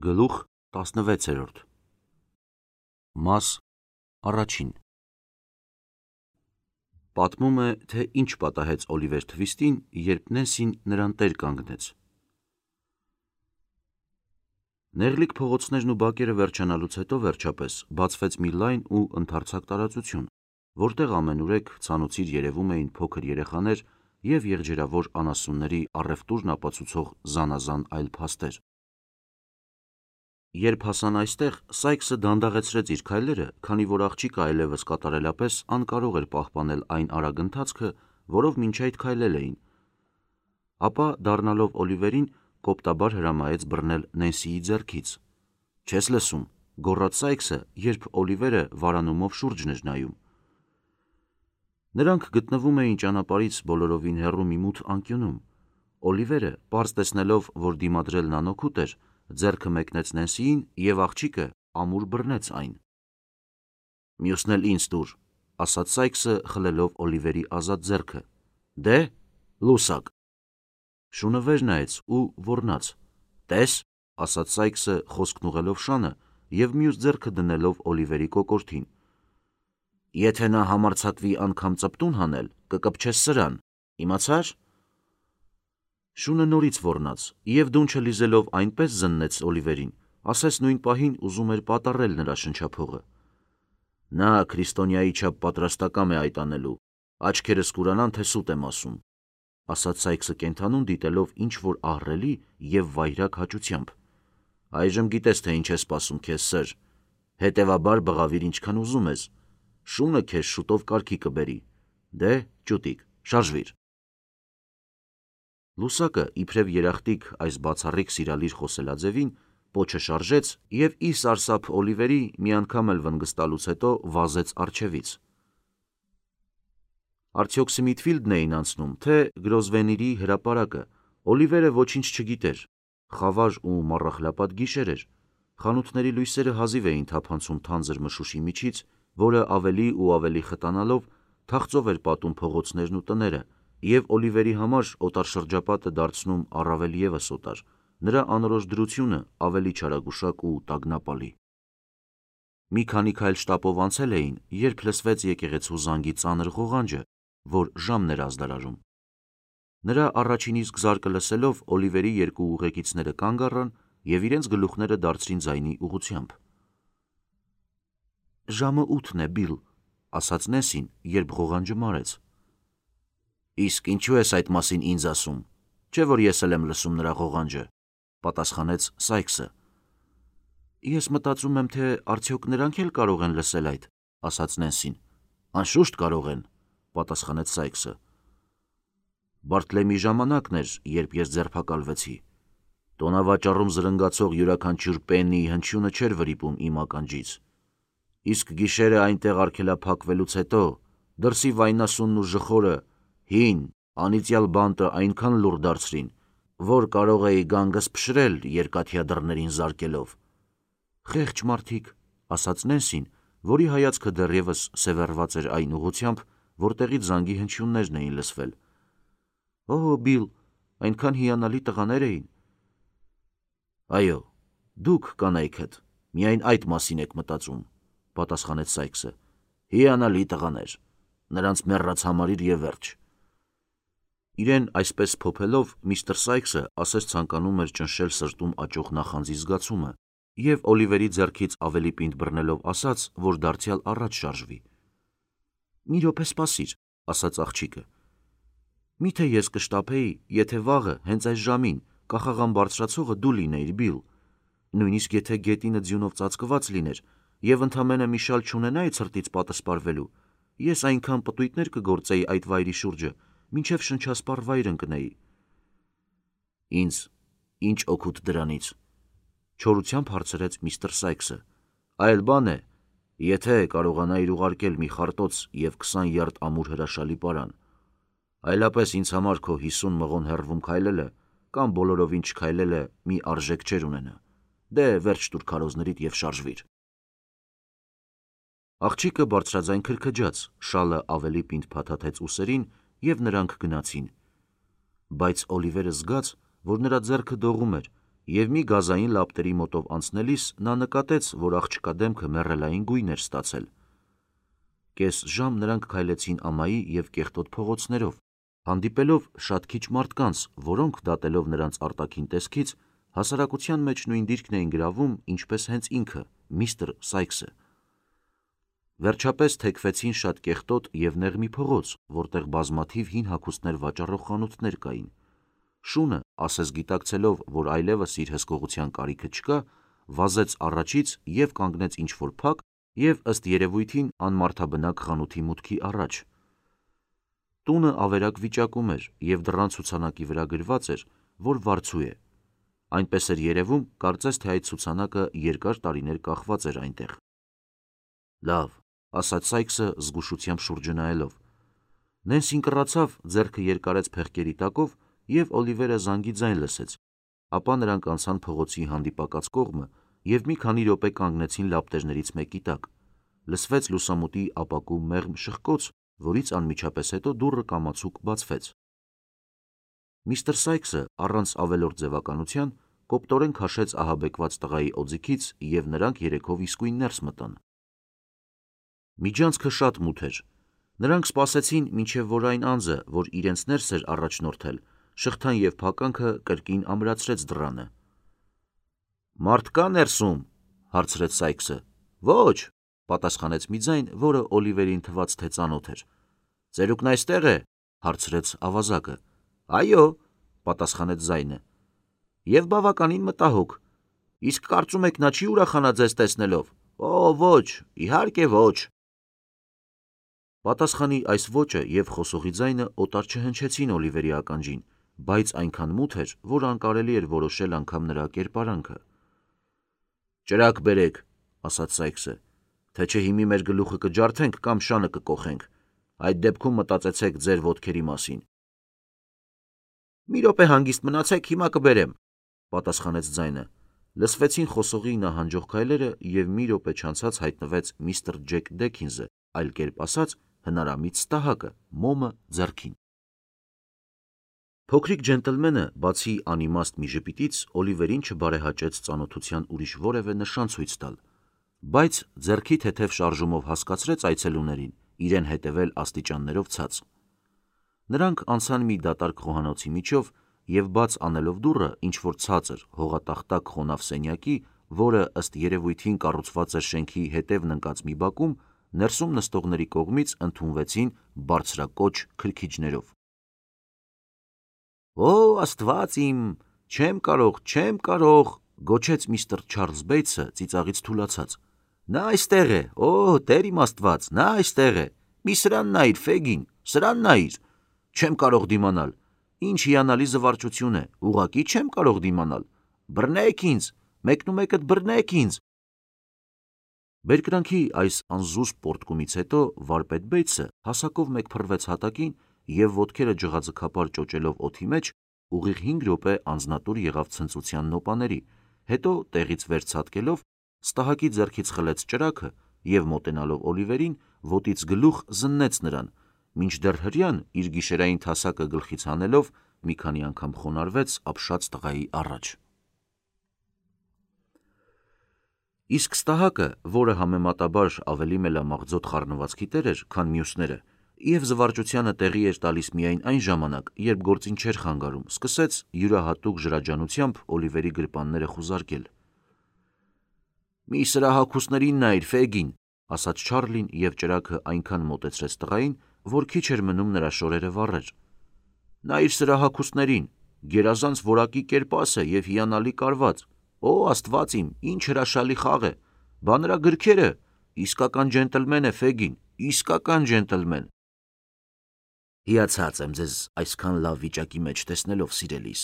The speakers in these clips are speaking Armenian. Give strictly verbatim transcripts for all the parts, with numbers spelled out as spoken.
Գլուխ տասնվեցերորդ Մաս առաջին Պատմում է, թե ինչ պատահեց Օլիվեր Թվիստին, երբ Նենսին նրան տեր կանգնեց։ Նեղլիկ փողոցներն ու բակերը վերջանալուց հետո վերջապես բացվեց մի լայն ու ընդարձակ տարածություն, որտեղ ամենուրեք ցանոցիր երևում էին փոքր երեխաներ և եղջերավոր անասունների առևտուրն ապացուցող զանազան այլ փաստեր։ Երբ հասան այստեղ, Սայքսը դանդաղեցրեց իր քայլերը, քանի որ աղջիկը այլևս կատարելապես անկարող էր պահպանել այն արագ ընթացքը, որով մինչ այդ քայլել էին։ Ապա, դառնալով Օլիվերին, կոպտաբար հրամայեց բռնել Նենսիի ձեռքից։ «Չես լսում», գոռաց Սայքսը, երբ Օլիվերը վարանումով շուրջն էր նայում։ Նրանք գտնվում էին ճանապարհից բոլորովին հեռու մի մութ անկյունում։ Օլիվերը, պարզ տեսնելով, որ դիմադրելն անօգուտ էր, ձեռքը մեկնեց Նենսիին, և աղջիկը ամուր բռնեց այն։ «Մյուսն էլ ինձ տուր», ասաց Սայքսը, խլելով Օլիվերի ազատ ձեռքը։ «Դե՞, լուսակ»։ Շունը վեր նայեց ու ոռնաց։ «Տես», ասաց Սայքսը, խոսքն ուղղելով շանը և մյուս ձեռքը դնելով Օլիվերի կոկորդին։ «Եթե նա համարձակվի անգամ ծպտուն հանել, կկպչես սրան, իմացա՞ր»։ Շունը նորից ոռնաց և դունչը լիզելով այնպես զննեց Օլիվերին, ասես նույն պահին ուզում էր պատառել նրա շնչափողը։ «Նա քրիստոնյայի չափ պատրաստակամ է այդ անելու, աչքերս կուրանան, թե սուտ եմ ասում», ասաց Սայքսը կենդանուն դիտելով ինչ-որ ահռելի և վայրագ հաճությամբ։ «Այժմ գիտես, թե ինչ է սպասում քեզ, սըր, հետևաբար բղավիր ինչքան ուզում ես, շունը քեզ շուտով կարգի կբերի։ Դե, ճուտիկ, շարժվիր»։ Լուսակը, իբրև երախտիկ այս բացառիկ սիրալիր խոսելաձևին, պոչը շարժեց և ի սարսափ Օլիվերի մի անգամ էլ վնգստալուց հետո վազեց առջևից։ Արդյոք Սմիթֆիլդն էին անցնում, թե Գրոզվեննիրի հրապարակը, Օլիվերը ոչինչ չգիտեր։ Խավար ու մառախլապատ գիշեր էր։ Խանութների լույսերը հազիվ էին թափանցում թանձր մշուշի միջից, որը ավելի ու ավելի խտանալով թախծով էր պատում փողոցներն ու տները, և Օլիվերի համար օտարշրջապատը դարձնում առավել ևս օտար, նրա անորոշ դրությունը ավելի չարագուշակ ու տագնապալի։ Մի քանի քայլ շտապով անցել էին, երբ լսվեց եկեղեցու զանգի ծանր ղողանջը, որ ժամն էր ազդարարում։ Նրա առաջին իսկ զարկը լսելով, Օլիվերի երկու ուղեկիցները կանգ առան և իրենց գլուխները դարձրին ձայնի ուղղությամբ։ «Ժամը ութն է, Բիլ», ասաց Նենսին, երբ ղողանջը մարեց։ «Իսկ ինչու ես այդ մասին ինձ ասում, չէ՞ որ ես էլ եմ լսում նրա ղողանջը», պատասխանեց Սայքսը։ «Ես մտածում եմ, թե արդյոք նրանք էլ կարող են լսել այդ», ասաց Նենսին։ «Անշուշտ կարող են», պատասխանեց Սայքսը։ «Բարտլեմի ժամանակն էր, երբ ես ձերբակալվեցի։ Տոնավաճառում զրնգացող յուրաքանչյուր պեննիի հնչյունը չէր վրիպում իմ ականջից։ Իսկ գիշերը այնտեղ արգելափակվելուց հետո դրսի վայնասունն ու ժխորը, հին, անիծյալ բանտը այնքան լուռ դարձրին, որ կարող էի գանգս փշրել երկաթյա դռներին զարկելով»։ «Խեղճ մարդիկ», ասաց Նենսին, որի հայացքը դեռևս սևեռված էր այն ուղղությամբ, որտեղից զանգի հնչյուններն էին լսվել։ «Օ, Բիլ, այնքան հիանալի տղաներ էին»։ «Այո, դուք, կանայքդ, միայն այդ մասին եք մտածում», պատասխանեց Սայքսը։ «Հիանալի տղաներ, նրանց մեռած համարիր և վերջ»։ Իրեն այսպես փոփելով, միստր Սայքսը ասես ցանկանում էր ճնշել սրտում աճող նախանձի զգացումը և Օլիվերի ձեռքից ավելի պինդ բռնելով ասաց, որ դարձյալ առաջ շարժվի։ «Մի րոպե սպասիր», ասաց աղջիկը։ «Մի՞թե ես կշտապեի, եթե վաղը, հենց այս ժամին, կախաղան բարձրացողը դու լինեիր, Բիլ։ Նույնիսկ եթե գետինը ձյունով ծածկված լիներ և ընդամենը մի շալ չունենայի ցրտից պատսպարվելու, ես այնքան պտույտներ կգործեի այդ վայրի շուրջը, մինչև շնչասպառ վայր ընկնեի»։ «Ինձ ինչ օգուտ դրանից», չորությամբ հարցրեց միստր Սայքսը։ «Այլ բան է, եթե կարողանայիր ուղարկել մի խարտոց և քսան յարդ ամուր հրաշալի պարան։ Այլապես ինձ համար քո հիսուն մղոն հեռվում քայլելը կամ բոլորովին չքայլելը մի արժեք չէր ունենա։ Դե, վերջ տուր քարոզներիդ և շարժվիր»։ Աղջիկը բարձրաձայն քրքջաց, շալը ավելի պինդ փաթաթեց ուսերին, և նրանք գնացին։ Բայց Օլիվերը զգաց, որ նրա ձեռքը դողում էր, և մի գազային լապտերի մոտով անցնելիս նա նկատեց, որ աղջկա դեմքը մեռելային գույն էր ստացել։ Կես ժամ նրանք քայլեցին ամայի և կեղտոտ փողոցներով, հանդիպելով շատ քիչ մարդկանց, որոնք, դատելով նրանց արտաքին տեսքից, հասարակության մեջ նույն դիրքն էին գրավում, ինչպես հենց ինքը, միստր Սայքսը։ Վերջապես թեքվեցին շատ կեղտոտ և նեղ մի փողոց, որտեղ բազմաթիվ հին հագուստներ վաճառող խանութներ կային։ Շունը, ասես գիտակցելով, որ այլևս իր հսկողության կարիքը չկա, վազեց առաջից և կանգնեց ինչ-որ փակ և ըստ երևույթին անմարդաբնակ խանութի մուտքի առաջ։ Տունը ավերակ վիճակում էր և դռան ցուցանակի վրա գրված էր, որ վարձու է։ Այնպես էր երևում, կարծես թե այդ ցուցանակը երկար տարիներ կախված էր այնտեղ։ Լավ, ասաց Սայքսը զգուշությամբ շուրջը նայելով։ Նենսին կռացավ, ձեռքը երկարեց փեղկերի տակով և Օլիվերը զանգի ձայն լսեց, ապա նրանք անցան փողոցի հանդիպակաց կողմը և մի քանի րոպե կանգնեցին լապտերներից մեկի տակ։ Լսվեց լուսամուտի ապակու մեղմ շխկոց, որից անմիջապես հետո դուռը կամացուկ բացվեց։ Միստր Սայքսը առանց ավելորդ ձևականության կոպտորեն քաշեց ահաբեկված տղայի օձիքից և նրանք երեքով իսկույն ներս մտան։ Միջանցքը շատ մութ էր։ Նրանք սպասեցին, մինչև որ այն անձը, որ իրենց ներս էր առաջնորդել, շղթան և փականքը կրկին ամրացրեց դռանը։ «Մարդ կա ներսում», հարցրեց Սայքսը։ «Ոչ», պատասխանեց մի ձայն, որը Օլիվերին թվաց, թե ծանոթ էր։ «Ծերուկն այստեղ է», հարցրեց ավազակը։ «Այո», պատասխանեց ձայնը։ «Եվ բավականին մտահոգ։ Իսկ կարծում եք նա չի ուրախանա ձեզ տեսնելով։ Օ, ոչ, իհարկե ոչ»։ Պատասխանի այս ոճը և խոսողի ձայնը օտար չհնչեցին Օլիվերի ականջին, բայց այնքան մութ էր, որ անկարելի էր որոշել անգամ նրա կերպարանքը։ «Ճրագ բերեք», ասաց Սայքսը, «թե չէ հիմի մեր գլուխը կջարդենք կամ շանը կկոխենք։ Այդ դեպքում մտածեցեք ձեր ոտքերի մասին»։ «Մի րոպե հանգիստ մնացեք, հիմա կբերեմ», պատասխանեց ձայնը։ Լսվեցին խոսողի նահանջող քայլերը և մի րոպե չանցած հայտնվեց միստր Ջեք Դեքինզը, այլ կերպ ասած, հնարամիտ Ստահակը, մոմը ձեռքին։ Փոքրիկ ջենտլմենը, բացի անիմաստ մի ժպիտից, Օլիվերին չբարեհաճեց ծանոթության ուրիշ որևէ նշան ցույց տալ, բայց ձեռքի թեթև շարժումով հասկացրեց այցելուներին իրեն հետևել աստիճաններով ցած։ Նրանք անցան մի դատարկ խոհանոցի միջով և բաց անելով դուռը ինչ-որ ցածր, հողատախտակ խոնավ սենյակի, որը ըստ երևույթին կառուցված էր շենքի հետևն ընկած մի բակում, ներսում նստողների կողմից ընդունվեցին բարձրակոչ քրքիջներով։ «Օ, Աստված իմ, չեմ կարող, չեմ կարող», գոչեց միստր Չարլզ Բեյթսը ծիծաղից թուլացած։ «Նա այստեղ է, օ, Տեր իմ Աստված, նա այստեղ է։ Մի սրան նայիր, Ֆեգին, սրան նայիր։ Չեմ կարող դիմանալ։ Ինչ հիանալի զվարճություն է, ուղղակի չեմ կարող դիմանալ։ Բռնեք ինձ, մեկնումեկդ բռնեք ինձ»։ Բերկրանքի այս անզուսպ պոռթկումից հետո վարպետ Բեյթսը հասակով մեկ փռվեց հատակին և ոտքերը ջղաձգապար ճոճելով օդի մեջ, ուղիղ հինգ րոպե անձնատուր եղավ ցնծության նոպաների, հետո տեղից վեր ցատկելով Ստահակի ձեռքից խլեց ճրագը և մոտենալով Օլիվերին, ոտից գլուխ զննեց նրան, մինչդեռ հրեան իր գիշերային թասակը գլխից հանելով մի քանի անգամ խոնարհվեց ապշած տղայի առաջ։ Իսկ Ստահակը, որը համեմատաբար ավելի մելամաղձոտ խառնվածքի տեր էր, քան մյուսները, և զվարճությանը տեղի էր տալիս միայն այն ժամանակ, երբ գործին չէր խանգարում, սկսեց յուրահատուկ ժրաջանությամբ Օլիվերի գրպանները խուզարկել։ «Մի սրա հագուստներին նայիր, Ֆեգին», ասաց Չարլին և ճրագը այնքան մոտեցրեց տղային, որ քիչ էր մնում նրա շորերը վառեր։ «Նայիր սրա հագուստներին, գերազանց որակի կերպաս է և հիանալի կարված։ Օ, Աստված իմ, ինչ հրաշալի խաղ է։ Բա նրա գրքերը, իսկական ջենտլմեն է, Ֆեգին, իսկական ջենտլմեն»։ «Հիացած եմ ձեզ այսքան լավ վիճակի մեջ տեսնելով, սիրելիս»,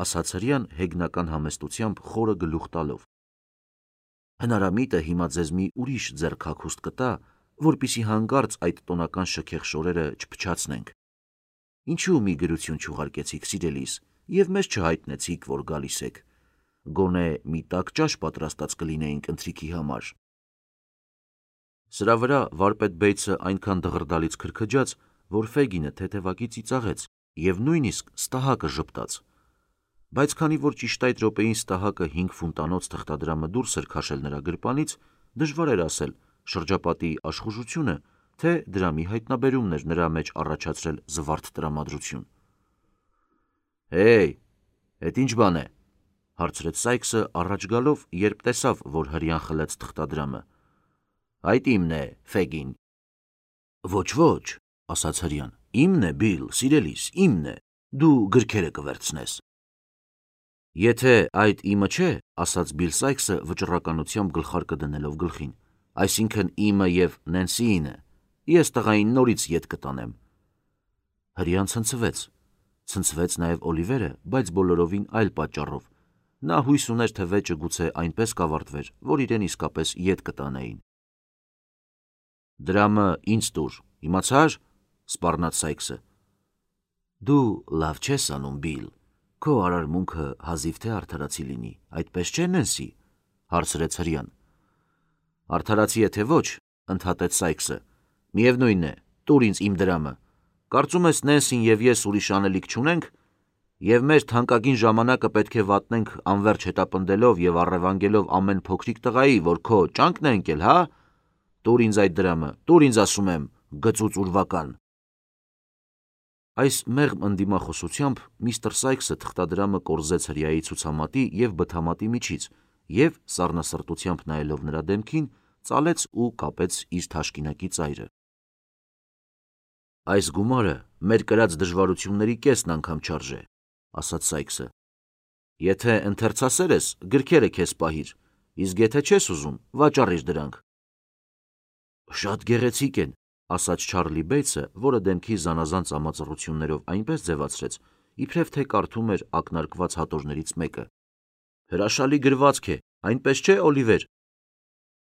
ասաց հրեան հեգնական համեստությամբ խորը գլուխ տալով։ «Հնարամիտը հիմա ձեզ մի ուրիշ ձեռք հագուստ կտա, որպեսզի հանկարծ այդ տոնական շքեղ շորերը չփչացնենք։ Ինչու մի գրություն չուղարկեցիք, սիրելիս, և մեզ չհայտնեցիք, որ գալիս եք։ Գոնե մի տաք ճաշ պատրաստած կլինեինք ընթրիքի համար»։ Սրա վրա վարպետ Բեյթսը այնքան դղրդալից քրքջաց, որ Ֆեգինը թեթևակի ծիծաղեց և նույնիսկ Ստահակը ժպտաց։ Բայց քանի որ ճիշտ այդ րոպեին Ստահակը հինգ ֆունտանոց թղթադրամը դուրս էր քաշել նրա գրպանից, դժվար էր ասել շրջապատի աշխուժությունը, թե դրամի հայտնաբերումն էր նրա մեջ առաջացրել զվարթ տրամադրություն։ «Հեյ, էդ ինչ բան է», հարցրեց Սայքսը առաջ գալով, երբ տեսավ, որ հրյան խլեց թղթադրամը։ «Այդ իմն է, Ֆեգին»։ «Ոչ, ոչ», ասաց հրյան, «իմն է, Բիլ, սիրելիս, իմն է, դու գրքերը կվերցնես»։ «Եթե այդ իմը չէ», ասաց Բիլ Սայքսը վճռականությամբ գլխարկը դնելով գլխին, «այսինքն իմը և Նենսիինը, ես տղային նորից ետ կտանեմ»։ Հրյան ցնցվեց։ Ցնցվեց նաև Օլիվերը, բայց բոլորովին այլ պատճառով։ Նա հույս ուներ, թե վեճը գուցե այնպես կավարտվեր, որ իրեն իսկապես ետ կտանեին։ «Դրամը ինձ տուր, իմացա՞ր», սպառնաց Սայքսը։ «Դու լավ չես անում, Բիլ, քո արարմունքը հազիվ թե արդարացի լինի, այդպես չէ, Նենսի», հարցրեց հրյան։ «Արդարացի է թե ոչ», ընդհատեց Սայքսը, «միևնույն է, տուր ինձ իմ դրամը։ Կարծում ես Նենսին և ես ուրիշ անելիք չունենք, և մեր թանկագին ժամանակը պետք է վատնենք անվերջ հետապնդելով և առևանգելով ամեն փոքրիկ տղայի, որ քո ճանկն է ընկել, հա՞։ Տուր ինձ այդ դրամը, տուր ինձ ասում եմ, գծուծ ուրվական»։ Այս մեղմ ընդդիմախոսությամբ միստր Սայքսը թղթադրամը կորզեց հրյայի ցուցամատի և բթամատի միջից և, սառնասրտությամբ նայելով նրա դեմքին, ծալեց ու կապեց իր թաշկինակի ծայրը։ «Այս գումարը մեր կրած դժվարությունների կեսն անգամ չարժե», ասաց Սայքսը։ «Եթե ընթերցասեր ես, գրքերը քեզ պահիր, իսկ եթե չես ուզում, վաճառիր դրանք»։ «Շատ գեղեցիկ են», ասաց Չարլի Բեյցը, որը դեմքի զանազան ծամածռություններով այնպես ձևացրեց, իբրև թե կարդում էր ակնարկված հատորներից մեկը։ «Հրաշալի գրվածք է, այնպես չէ, Օլիվեր»։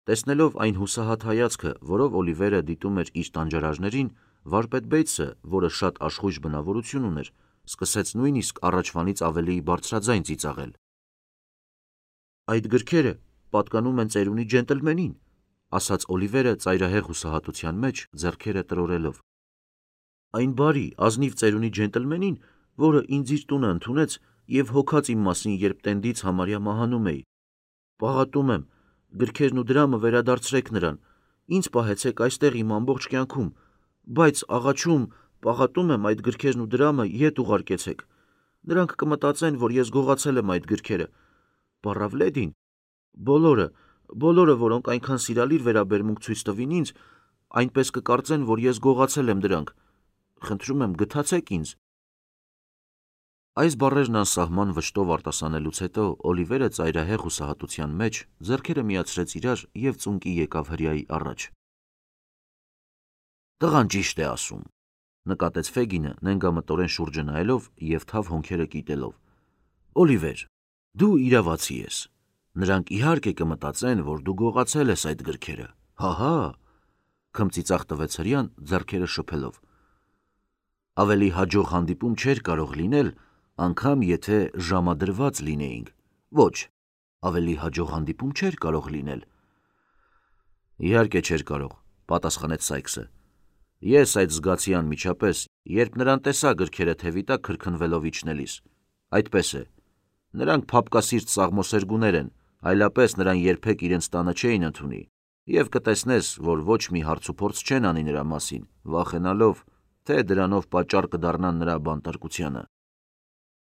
Տեսնելով այն հուսահատ հայացքը, որով Օլիվերը դիտում էր իր տանջարարներին, վարպետ Բեյցը, որը շատ աշխույժ բնավորություն ուներ, սկսեց նույնիսկ առաջվանից ավելի բարձրաձայն ծիծաղել։ «Այդ գրքերը պատկանում են ծերունի ջենտլմենին», ասաց Օլիվերը ծայրահեղ հուսահատության մեջ, ձեռքերը տրորելով։ «Այն բարի, ազնիվ ծերունի ջենտլմենին, որը ինձ իր տունը ընդունեց և հոգաց իմ մասին, երբ տենդից համարյա մահանում էի։ Պաղատում եմ, գրքերն ու դրամը վերադարձրեք նրան, ինձ պահեցեք այստեղ իմ ամբողջ կյանքում, բայց աղաչում, պաղատում եմ, այդ գրքերն ու դրամը ետ ուղարկեցեք։ Նրանք կմտածեն, որ ես գողացել եմ այդ գրքերը։ Պառավլեդին, բոլորը, բոլորը, որոնք այնքան սիրալիր վերաբերմունք ցույց տվին ինձ, այնպես կկարծեն, որ ես գողացել եմ դրանք։ Խնդրում եմ, գթացեք ինձ»։ Այս բառերն անսահման վշտով արտասանելուց հետո Օլիվերը ծայրահեղ հուսահատության մեջ ձեռքերը միացրեց իրար և ծունկի եկավ հրյայի առաջ։ «Տղան ճիշտ է ասում», նկատեց Ֆեգինը, նենգամտորեն շուրջը նայելով և թավ հոնքերը կիտելով։ «Օլիվեր, դու իրավացի ես։ Նրանք իհարկե կմտածեն, որ դու գողացել ես այդ գրքերը, հա՛֊հա՛, քմծիծաղ տվեց հրյան, ձեռքերը շփելով։ «Ավելի հաջող հանդիպում չէր կարող լինել, անգամ եթե ժամադրված լինեինք։ Ոչ, ավելի հաջող հանդիպում չէր կարող լինել»։ «Իհարկե չէր կարող», պատասխանեց Սայքսը։ «Ես այդ զգացի անմիջապես, երբ նրան տեսա գրքերը թևի տակ քրքնվելով իջնելիս։ Այդպես է։ Նրանք փափկասիրտ սաղմոսերգուներ են, այլապես նրան երբեք իրենց տանը չէին ընդունի, և կտեսնես, որ ոչ մի հարցուփորձ չեն անի նրա մասին, վախենալով, թե դրանով պատճառ կդառնան նրա բանտարկությանը»։